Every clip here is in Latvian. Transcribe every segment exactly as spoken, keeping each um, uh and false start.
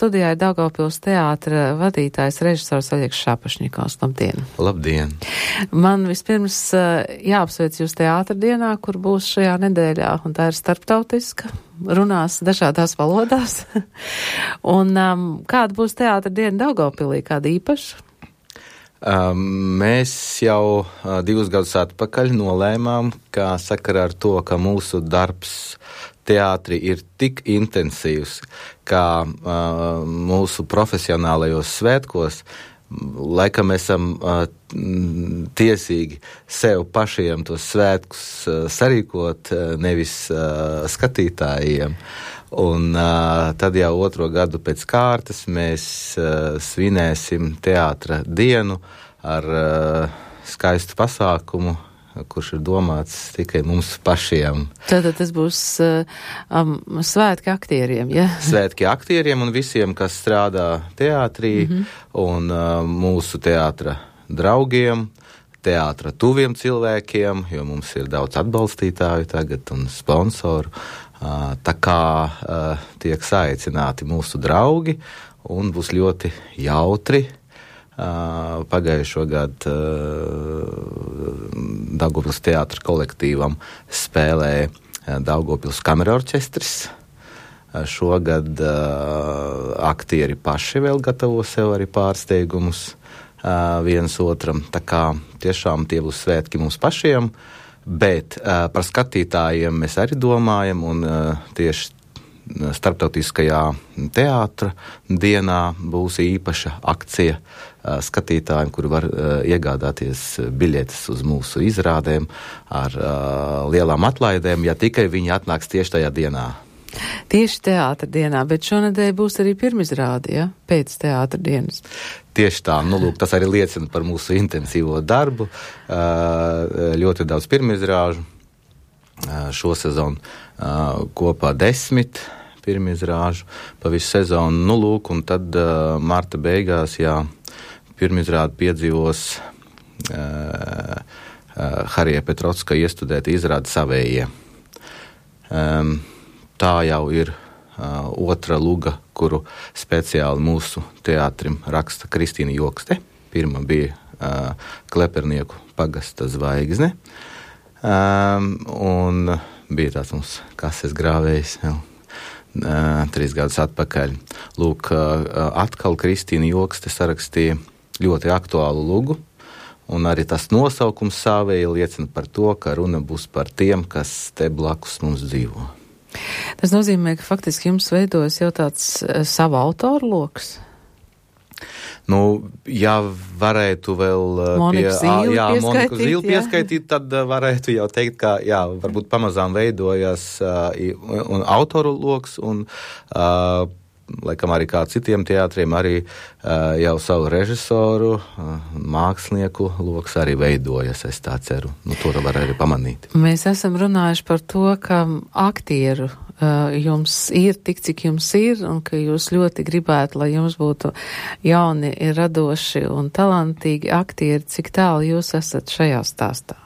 studijā ir Daugavpils teātra vadītājs režisors Oļegs Šapašņikovs. Labdien! Labdien! Man vispirms jāapsveic jūs teātra dienā, kur būs šajā nedēļā, un tā ir starptautiska, runās dažādās valodās. Un um, kāda būs teātra diena Daugavpilī, kāda īpaša? Um, mēs jau uh, divus gadus atpakaļ nolēmām, kā sakarā ar to, ka mūsu darbs teātri ir tik intensīvs, kā uh, mūsu profesionālajos svētkos, laikam esam uh, tiesīgi sev pašiem tos svētkus uh, sarīkot, uh, nevis uh, skatītājiem. Un uh, tad jau otro gadu pēc kārtas mēs uh, svinēsim teātra dienu ar uh, skaistu pasākumu, kurš ir domāts tikai mums pašiem. Tātad tas būs uh, um, svētki aktieriem, ja? Svētki aktieriem un visiem, kas strādā teātrī, mm-hmm. un uh, mūsu teātra draugiem, teātra tuviem cilvēkiem, jo mums ir daudz atbalstītāju tagad un sponsoru. Uh, tā kā uh, tiek saicināti mūsu draugi un būs ļoti jautri. Uh, pagājušo gadu uh, Daugavpils teātra kolektīvam spēlēja uh, Daugavpils kamerorķestris. Uh, šogad uh, aktieri paši vēl gatavo sev arī pārsteigumus uh, viens otram. Tā kā tiešām tie būs svētki mums pašiem. Bet uh, par skatītājiem mēs arī domājam, un uh, tieši starptautiskajā teātra dienā būs īpaša akcija uh, skatītājiem, kuri var uh, iegādāties biļetes uz mūsu izrādēm ar uh, lielām atlaidēm, ja tikai viņi atnāks tieši tajā dienā. Tieši teātra dienā, bet šonedēļ būs arī pirmizrāde, ja? Pēc teātra dienas. Tieši tā, nu lūk, tas arī liecina par mūsu intensīvo darbu. Uh, ļoti daudz pirmizrāžu. Uh, šo sezonu uh, kopā desmit pirmizrāžu pa visu sezonu. Nu lūk, un tad uh, marta beigās, jā, pirmizrāde piedzīvos uh, uh, Harija Petrotska iestudēta izrāde Savējie. Um, tā jau ir uh, otra luga, kuru speciāli mūsu teātrim raksta Kristīna Jokste. Pirma bija uh, Klepernieku pagasta zvaigzne. Um, un bija tāds mums kases grāvējs jau uh, trīs gadus atpakaļ. Lūk, uh, atkal Kristīna Jokste sarakstīja ļoti aktuālu lugu, un arī tas nosaukums Savēji liecina par to, ka runa būs par tiem, kas te blakus mums dzīvo. Tas nozīmē, ka faktiski jums veidojas jau tāds uh, savu autoru loks? Nu, ja varētu vēl Moniku Zīli jā, pieskaitīt, Moniku Zīli jā. pieskaitīt, tad varētu jau teikt, ka jā, varbūt pamazām veidojas uh, un autoru loks un uh, laikam arī kā citiem teātriem arī uh, jau savu režisoru, uh, mākslinieku loks arī veidojas, es tā ceru. Nu, to var arī pamanīt. Mēs esam runājuši par to, ka aktieru uh, jums ir tik, cik jums ir, un ka jūs ļoti gribētu, lai jums būtu jauni, radoši un talantīgi aktieri. Cik tālu jūs esat šajā stāstā?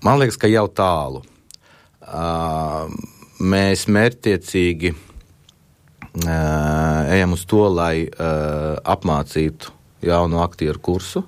Man liekas, ka jau tālu. Uh, mēs mērķtiecīgi Uh, ejam uz to, lai uh, apmācītu jaunu aktieru kursu,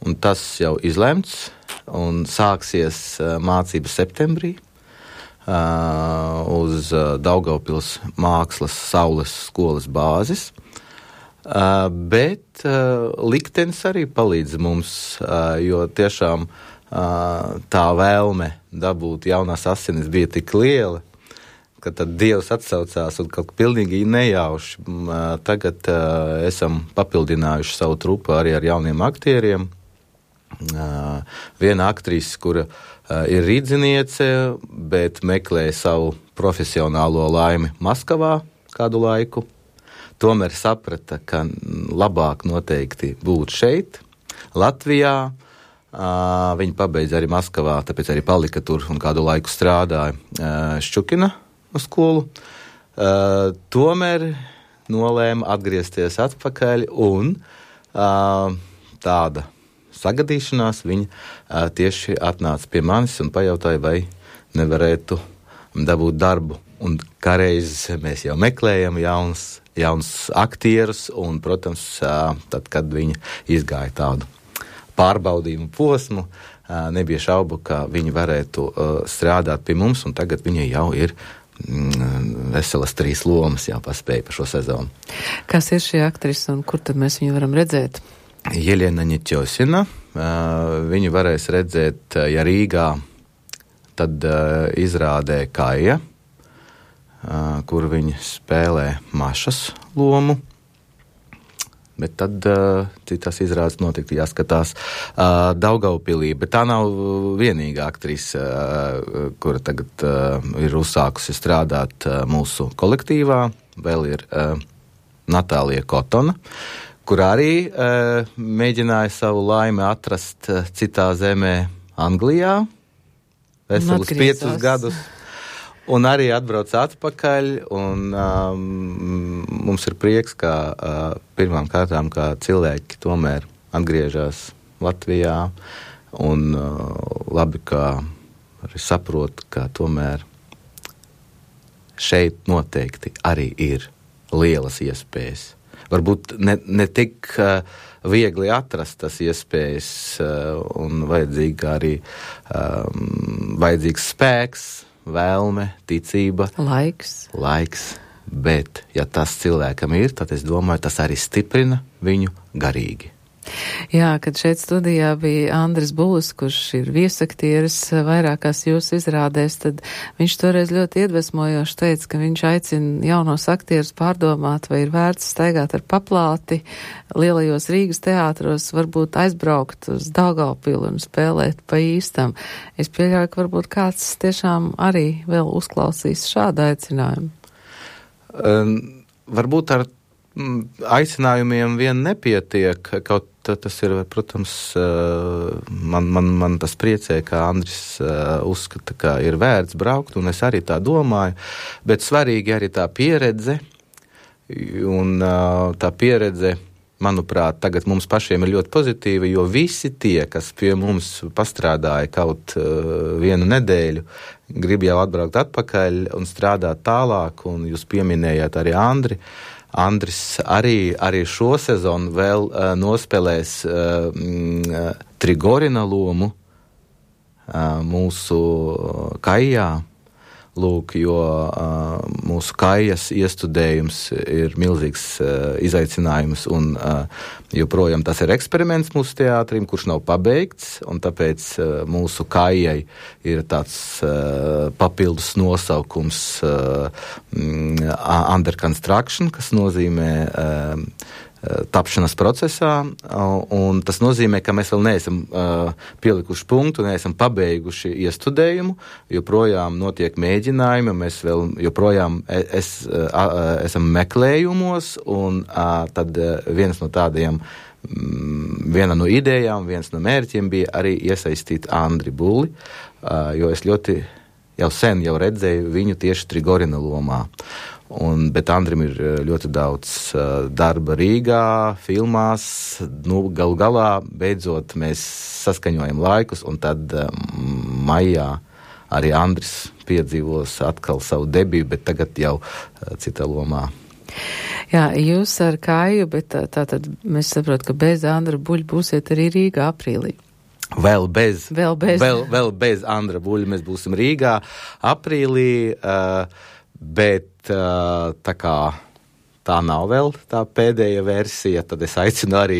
un tas jau izlemts, un sāksies uh, mācības septembrī uh, uz uh, Daugavpils mākslas saules skolas bāzes, uh, bet uh, liktenis arī palīdz mums, uh, jo tiešām uh, tā vēlme dabūt jaunās asinis bija tik liela, ka tad Dievs atsaucās un kaut pilnīgi nejauši. Tagad uh, esam papildinājuši savu trupu arī ar jauniem aktieriem. Uh, viena aktrise, kura uh, ir rīdziniece, bet meklē savu profesionālo laimi Maskavā kādu laiku. Tomēr saprata, ka labāk noteikti būt šeit, Latvijā. Uh, viņa pabeidza arī Maskavā, tāpēc arī palika tur un kādu laiku strādāja uh, Ščukina skolu. Uh, tomēr nolēma atgriezties atpakaļ un uh, tāda sagadīšanās viņa uh, tieši atnāca pie manis un pajautāja, vai nevarētu dabūt darbu un kāreiz mēs jau meklējam jauns, jauns aktierus, un, protams, tad, kad viņi izgāja tādu pārbaudījumu posmu, nebija šaubu, ka viņi varētu strādāt pie mums, un tagad viņi jau ir veselas trīs lomas jau paspēja par šo sezonu. Kas ir šī aktrisa un kur tad mēs viņu varam redzēt? Jeļena Ņeķosina. Viņu varēs redzēt, ja Rīgā, tad izrādē Kaija, kur viņi spēlē Mašas lomu. Bet tad uh, citās izrādes notikti jāskatās uh, Daugavpilī, bet tā nav vienīgā aktrise, uh, kura tagad uh, ir uzsākusi strādāt uh, mūsu kolektīvā. Vēl ir uh, Natālija Kotona, kur arī uh, mēģināja savu laimi atrast uh, citā zemē Anglijā, veselus piecus gadus. Un arī atbrauc atpakaļ, un um, mums ir prieks, ka uh, pirmām kārtām, kā cilvēki tomēr atgriežas Latvijā, un uh, labi, ka arī saprot, ka tomēr šeit noteikti arī ir lielas iespējas. Varbūt ne, ne tik uh, viegli atrast tas iespējas, uh, un vajadzīga arī um, vajadzīgs spēks, vēlme, ticība, laiks. laiks, bet, ja tas cilvēkam ir, tad es domāju, tas arī stiprina viņu garīgi. Jā, kad šeit studijā bija Andris Būs, kurš ir viesaktieris vairākās jūsu izrādēs, tad viņš toreiz ļoti iedvesmojoši teica, ka viņš aicina jaunos aktierus pārdomāt, vai ir vērts staigāt ar paplāti lielajos Rīgas teātros, varbūt aizbraukt uz Daugavpilu un spēlēt pa īstam. Es pieļauju, ka varbūt kāds tiešām arī vēl uzklausīs šādu aicinājumu. Um, varbūt ar aicinājumiem vien nepietiek, kaut tas ir, protams, man, man, man tas priecē, ka Andris uzskata, ka ir vērts braukt, un es arī tā domāju, bet svarīgi arī tā pieredze, un tā pieredze, manuprāt, tagad mums pašiem ir ļoti pozitīva, jo visi tie, kas pie mums pastrādāja kaut vienu nedēļu, grib jau atbraukt atpakaļ un strādāt tālāk, un jūs pieminējāt arī Andri. Andris arī, arī šo sezonu vēl uh, nospēlēs uh, Trigorina lomu uh, mūsu Kaijā. Lūk, jo uh, mūsu Kaijas iestudējums ir milzīgs uh, izaicinājums, un uh, joprojām tas ir eksperiments mūsu teātrim, kurš nav pabeigts, un tāpēc uh, mūsu Kaijai ir tāds uh, papildus nosaukums uh, under construction, kas nozīmē uh, tapšanas procesā, un tas nozīmē, ka mēs vēl neesam uh, pielikuši punktu, neesam pabeiguši iestudējumu, joprojām notiek mēģinājumi, mēs vēl joprojām es, uh, esam meklējumos, un uh, tad uh, viens no tādiem, um, viena no idejām, viens no mērķiem bija arī iesaistīt Andri Bulli, uh, jo es ļoti jau sen jau redzēju viņu tieši Trigorina lomā. Un, bet Andrim ir ļoti daudz uh, darba Rīgā, filmās, nu, galu galā, beidzot, mēs saskaņojam laikus, un tad uh, maijā arī Andris piedzīvos atkal savu debiju, bet tagad jau uh, citā lomā. Jā, jūs ar Kaiju, bet tā, tā tad mēs saprotam, ka bez Andra Buļa būsiet arī Rīgā aprīlī. Vēl bez, vēl bez. Vēl, vēl bez Andra Buļa mēs būsim Rīgā aprīlī, uh, bet tā kā tā nav vēl tā pēdējā versija, tad es aicinu arī,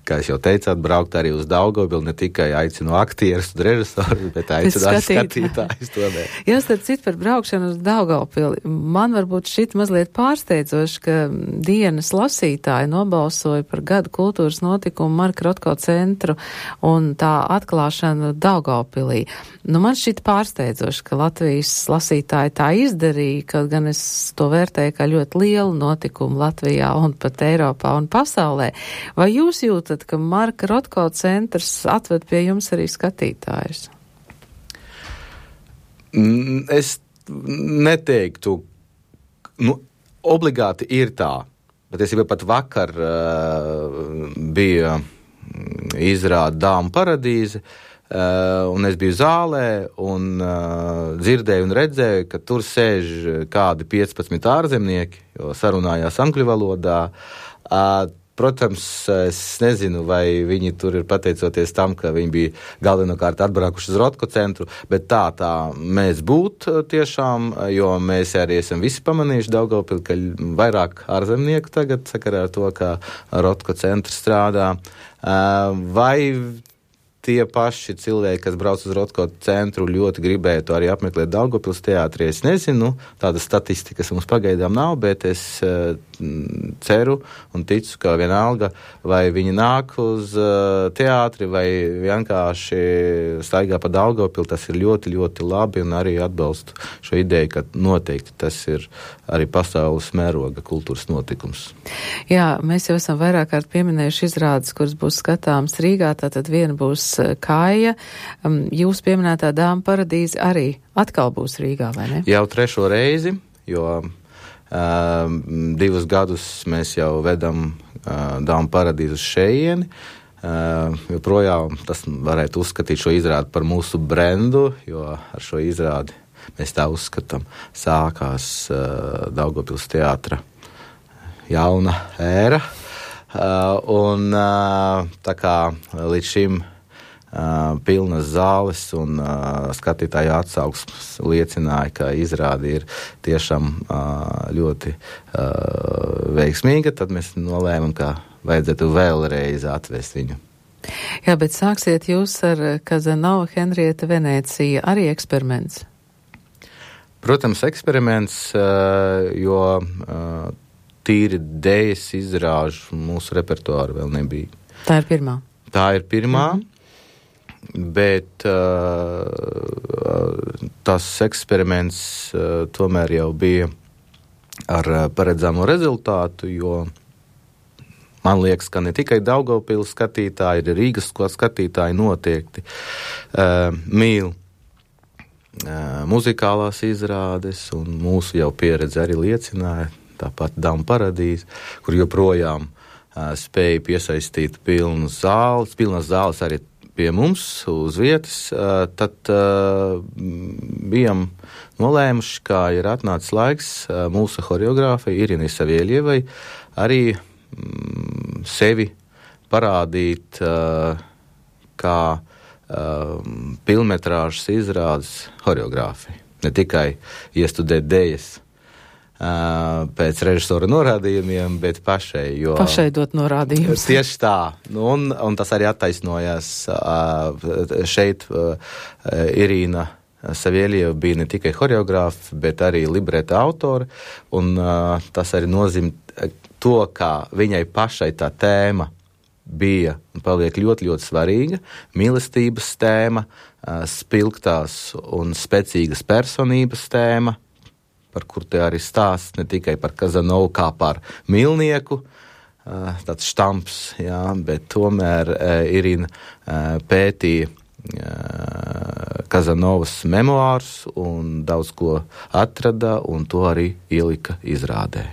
kā es jau teicāt, braukt arī uz Daugavpili, ne tikai aicinu aktierus un režisorus, bet aicinu arī skatītājus to ne. Jā, starp citu par braukšanu uz Daugavpili. Man varbūt šit mazliet pārsteidzoši, ka dienas lasītāji nobalsoja par gadu kultūras notikumu Marka Rotko centru un tā atklāšanu Daugavpilī. Nu, man šit pārsteidzoši, ka Latvijas lasītāji tā izdarīja, kaut gan es to vērtēju kā ļoti lielu notikumu Latvijā un pat Eiropā un pasaulē. Vai jūs jūtat, ka Marka Rotko centrs atved pie jums arī skatītājus? Es neteiktu, nu, obligāti ir tā, bet es jau pat vakar uh, bija izrāda Dāmu paradīze, uh, un es biju zālē un uh, dzirdēju un redzēju, ka tur sēž kādi piecpadsmit ārzemnieki, jo sarunājās angļu valodā. Uh, Protams, es nezinu, vai viņi tur ir pateicoties tam, ka viņi bija galvenokārt atbraukuši uz Rotko centru, bet tā tā mēs būt tiešām, jo mēs arī esam visi pamanījuši Daugavpili, ka vairāk ārzemnieku tagad sakarā ar to, ka Rotko centrs strādā. Vai tie paši cilvēki, kas brauc uz Rotko centru, ļoti gribētu arī apmeklēt Daugavpils teātri, es nezinu, tāda statistikas mums pagaidām nav, bet es uh, ceru un ticu, ka vienalga, vai viņi nāk uz uh, teātri, vai vienkārši staigā pa Daugavpili, tas ir ļoti, ļoti labi, un arī atbalstu šo ideju, ka noteikti tas ir arī pasaules mēroga kultūras notikums. Jā, mēs jau esam vairāk kārt pieminējuši izrādes, kuras būs skatāmas Rīgā, tātad viena būs Kāja. Jūs pieminētā Dāma paradīze arī atkal būs Rīgā, vai ne? Jau trešo reizi, jo uh, divus gadus mēs jau vedam uh, Dāma paradīzi uz šejieni. Uh, joprojām tas varētu uzskatīt šo izrādi par mūsu brendu, jo ar šo izrādi mēs tā uzskatām sākās uh, Daugavpils teātra jauna ēra. Uh, un uh, tā kā līdz šim Uh, pilnas zāles un uh, skatītāju atsauksmes liecināja, ka izrāde ir tiešām uh, ļoti uh, veiksmīga, tad mēs nolēmam, ka vajadzētu vēlreiz atvest viņu. Jā, bet sāksiet jūs ar Kazanova Henrieta Venecija, arī eksperiments? Protams, eksperiments, uh, jo uh, tīri dējas izrāžu mūsu repertuāru vēl nebija. Tā ir pirmā? Tā ir pirmā. Mm-hmm. Bet uh, tas eksperiments uh, tomēr jau bija ar uh, paredzamo rezultātu, jo man liekas, ka ne tikai Daugavpils skatītāji, ir Rīgas skatītāji noteikti uh, mīl uh, muzikālās izrādes, un mūsu jau pieredze arī liecināja, tāpat Dāma paradīze, kur joprojām uh, spēja piesaistīt pilnas zāles, pilnas zāles arī pie mums uz vietas, tad uh, bijām nolēmuši, kā ir atnācis laiks uh, mūsu horeogrāfai Irinai Savieļievai arī mm, sevi parādīt uh, kā uh, pilnmetrāžas izrādes horeogrāfai. Ne tikai iestudēt dējas uh, pēc režisora norādījumiem, bet pašai. Jo pašai dot norādījumus. Tieši tā. Un, un tas arī attaisnojās uh, šeit. Uh, Irīna Savieļieva bija ne tikai horeogrāfa, bet arī libreta autore. Un uh, tas arī nozīmē to, ka viņai pašai tā tēma bija un paliek ļoti, ļoti svarīga. Mīlestības tēma, uh, spilgtās un spēcīgas personības tēma, par kur te arī stāsts ne tikai par Kazanovu kā par mīlnieku, tāds štamps, jā, bet tomēr Irina pētīja Kazanovas memoārus un daudz ko atrada, un to arī ielika izrādē.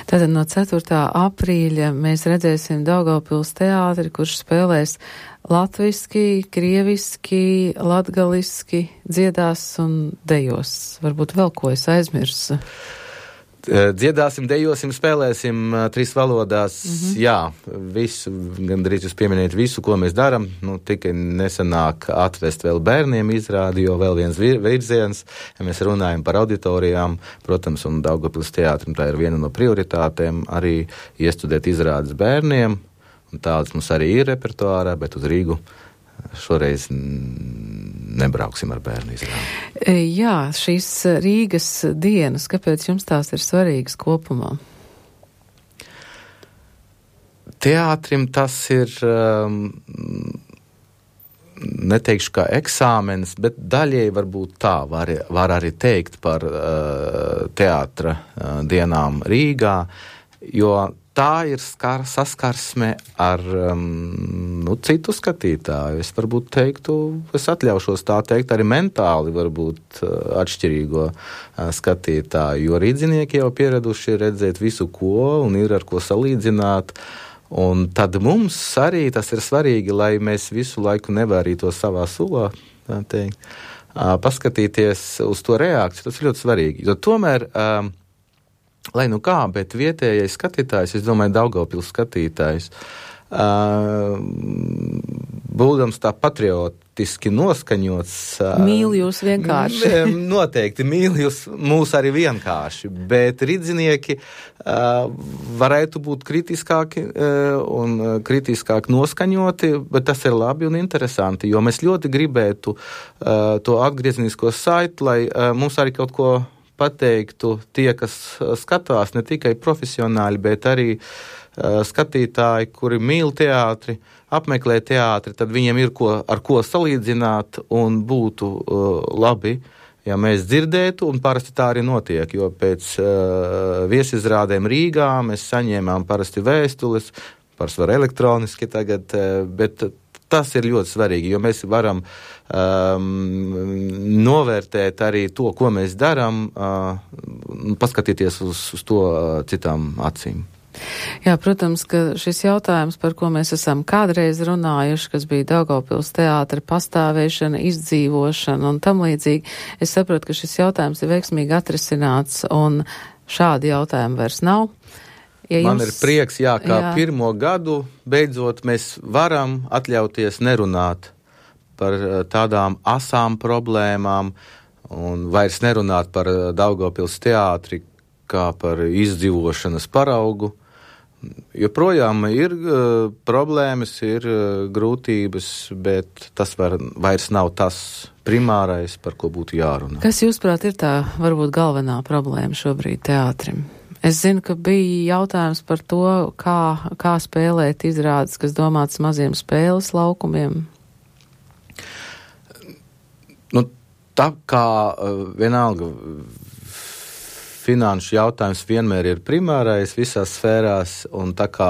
Tātad no ceturtā aprīļa mēs redzēsim Daugavpils teātri, kurš spēlēs latviski, krieviski, latgaliski, dziedās un dejos. Varbūt vēl ko es aizmirsu. Dziedāsim, dejosim, spēlēsim trīs valodās. Mm-hmm. Jā, visu, gandrīz jūs pieminējat visu, ko mēs daram. Nu, tikai nesanāk atvest vēl bērniem izrādi, jo vēl viens virziens, ja mēs runājam par auditorijām, protams, un Daugavpils teātrim tā ir viena no prioritātēm, arī iestudēt izrādes bērniem. Un tādas mums arī ir repertuārā, bet uz Rīgu šoreiz nebrauksim ar bērnu izrādi. Jā, šīs Rīgas dienas, kāpēc jums tās ir svarīgas kopumā? Teātrim tas ir, um, neteikšu kā eksāmenis, bet daļai varbūt tā var, var arī teikt par uh, teātra uh, dienām Rīgā, jo tā ir skar, saskarsme ar um, nu, citu skatītāju. Es varbūt teiktu, es atļaušos tā teikt, arī mentāli varbūt uh, atšķirīgo uh, skatītāju, jo rīdzinieki jau pieraduši redzēt visu ko un ir ar ko salīdzināt. Un tad mums arī tas ir svarīgi, lai mēs visu laiku nevārītos savā sulā, tā teikt, paskatīties uz to reakciju. Tas ir ļoti svarīgi, jo tomēr, lai nu kā, bet vietējais skatītājs, es domāju, Daugavpils skatītājs, būdams tā patriotiski noskaņots. Mīl jūs vienkārši. Noteikti mīl jūs mūs arī vienkārši, bet ridzinieki varētu būt kritiskāki un kritiskāk noskaņoti, bet tas ir labi un interesanti, jo mēs ļoti gribētu to atgriezenisko saiti, lai mums arī kaut ko pateiktu tie, kas skatās, ne tikai profesionāļi, bet arī skatītāji, kuri mīl teātri, apmeklē teātri, tad viņiem ir ko, ar ko salīdzināt un būtu uh, labi, ja mēs dzirdētu, un parasti tā arī notiek, jo pēc uh, viesizrādēm Rīgā mēs saņēmām parasti vēstules, pārsvar elektroniski tagad, uh, bet tas ir ļoti svarīgi, jo mēs varam um, novērtēt arī to, ko mēs daram, uh, paskatīties uz, uz to uh, citām acīm. Jā, protams, ka šis jautājums, par ko mēs esam kādreiz runājuši, kas bija Daugavpils teātra pastāvēšana, izdzīvošana un tam līdzīgi, es saprotu, ka šis jautājums ir veiksmīgi atrisināts un šādi jautājumi vairs nav. Ja jums... Man ir prieks, jā, kā jā. pirmo gadu beidzot mēs varam atļauties nerunāt par tādām asām problēmām un vairs nerunāt par Daugavpils teātri kā par izdzīvošanas paraugu. Joprojām ir uh, problēmas, ir uh, grūtības, bet tas var, vairs nav tas primārais, par ko būtu jārunā. Kas, jūsuprāt, ir tā varbūt galvenā problēma šobrīd teātrim? Es zinu, ka bija jautājums par to, kā, kā spēlēt izrādes, kas domāts maziem spēles laukumiem. Nu, tā kā uh, vienalga finanšu jautājums vienmēr ir primārais visās sfērās, un tā kā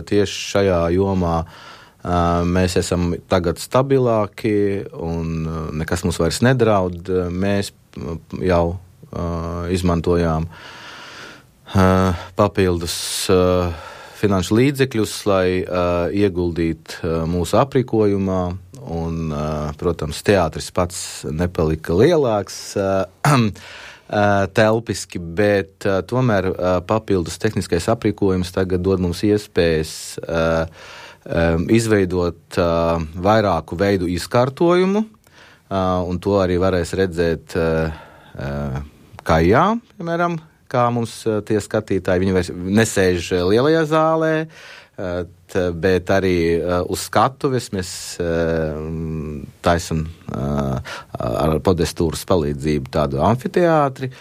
tieši šajā jomā uh, mēs esam tagad stabilāki un nekas mums vairs nedraud, mēs jau uh, izmantojām uh, papildus uh, finanšu līdzekļus, lai uh, ieguldītu uh, mūsu aprīkojumā, un, uh, protams, teātris pats nepalika lielāks, uh, telpiski, bet uh, tomēr uh, papildus tehniskais aprīkojums tagad dod mums iespējas uh, um, izveidot uh, vairāku veidu izkārtojumu, uh, un to arī varēs redzēt uh, uh, kājā, piemēram, kā mums uh, tie skatītāji, viņi vairs nesēž lielajā zālē, uh, t, bet arī uh, uz skatuves mēs uh, taisam uh, ar podestūras palīdzību tādu amfiteātri,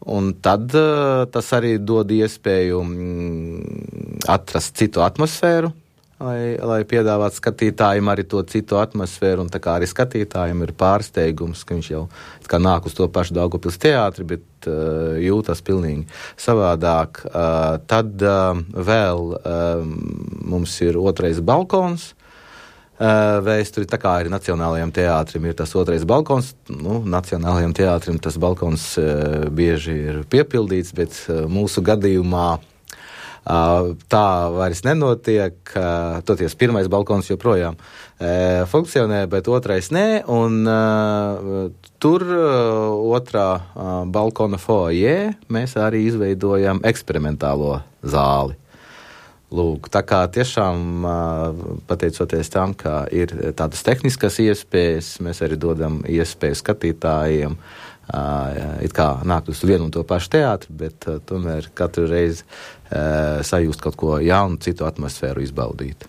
un tad uh, tas arī dod iespēju mm, atrast citu atmosfēru, lai, lai piedāvātu skatītājiem arī to citu atmosfēru, un tā kā arī skatītājiem ir pārsteigums, ka viņš jau kā nāk uz to pašu Daugavpils teātri, bet uh, jūtas pilnīgi savādāk. Uh, tad uh, vēl uh, mums ir otrais balkons, uh, vēsturi, tā kā arī Nacionālajam teātrim ir tas otrais balkons, nu, Nacionālajam teātrim tas balkons uh, bieži ir piepildīts, bet uh, mūsu gadījumā Uh, tā vairs nenotiek, uh, toties pirmais balkons joprojām uh, funkcionē, bet otrais nē, un uh, tur uh, otrā uh, balkona foajē mēs arī izveidojam eksperimentālo zāli. Lūk, tā kā tiešām uh, pateicoties tam, ka ir tādas tehniskas iespējas, mēs arī dodam iespēju skatītājiem Uh, it kā nāk uz vienu un to pašu teātri, bet uh, tomēr katru reizi uh, sajūst kaut ko jaunu, citu atmosfēru izbaudīt.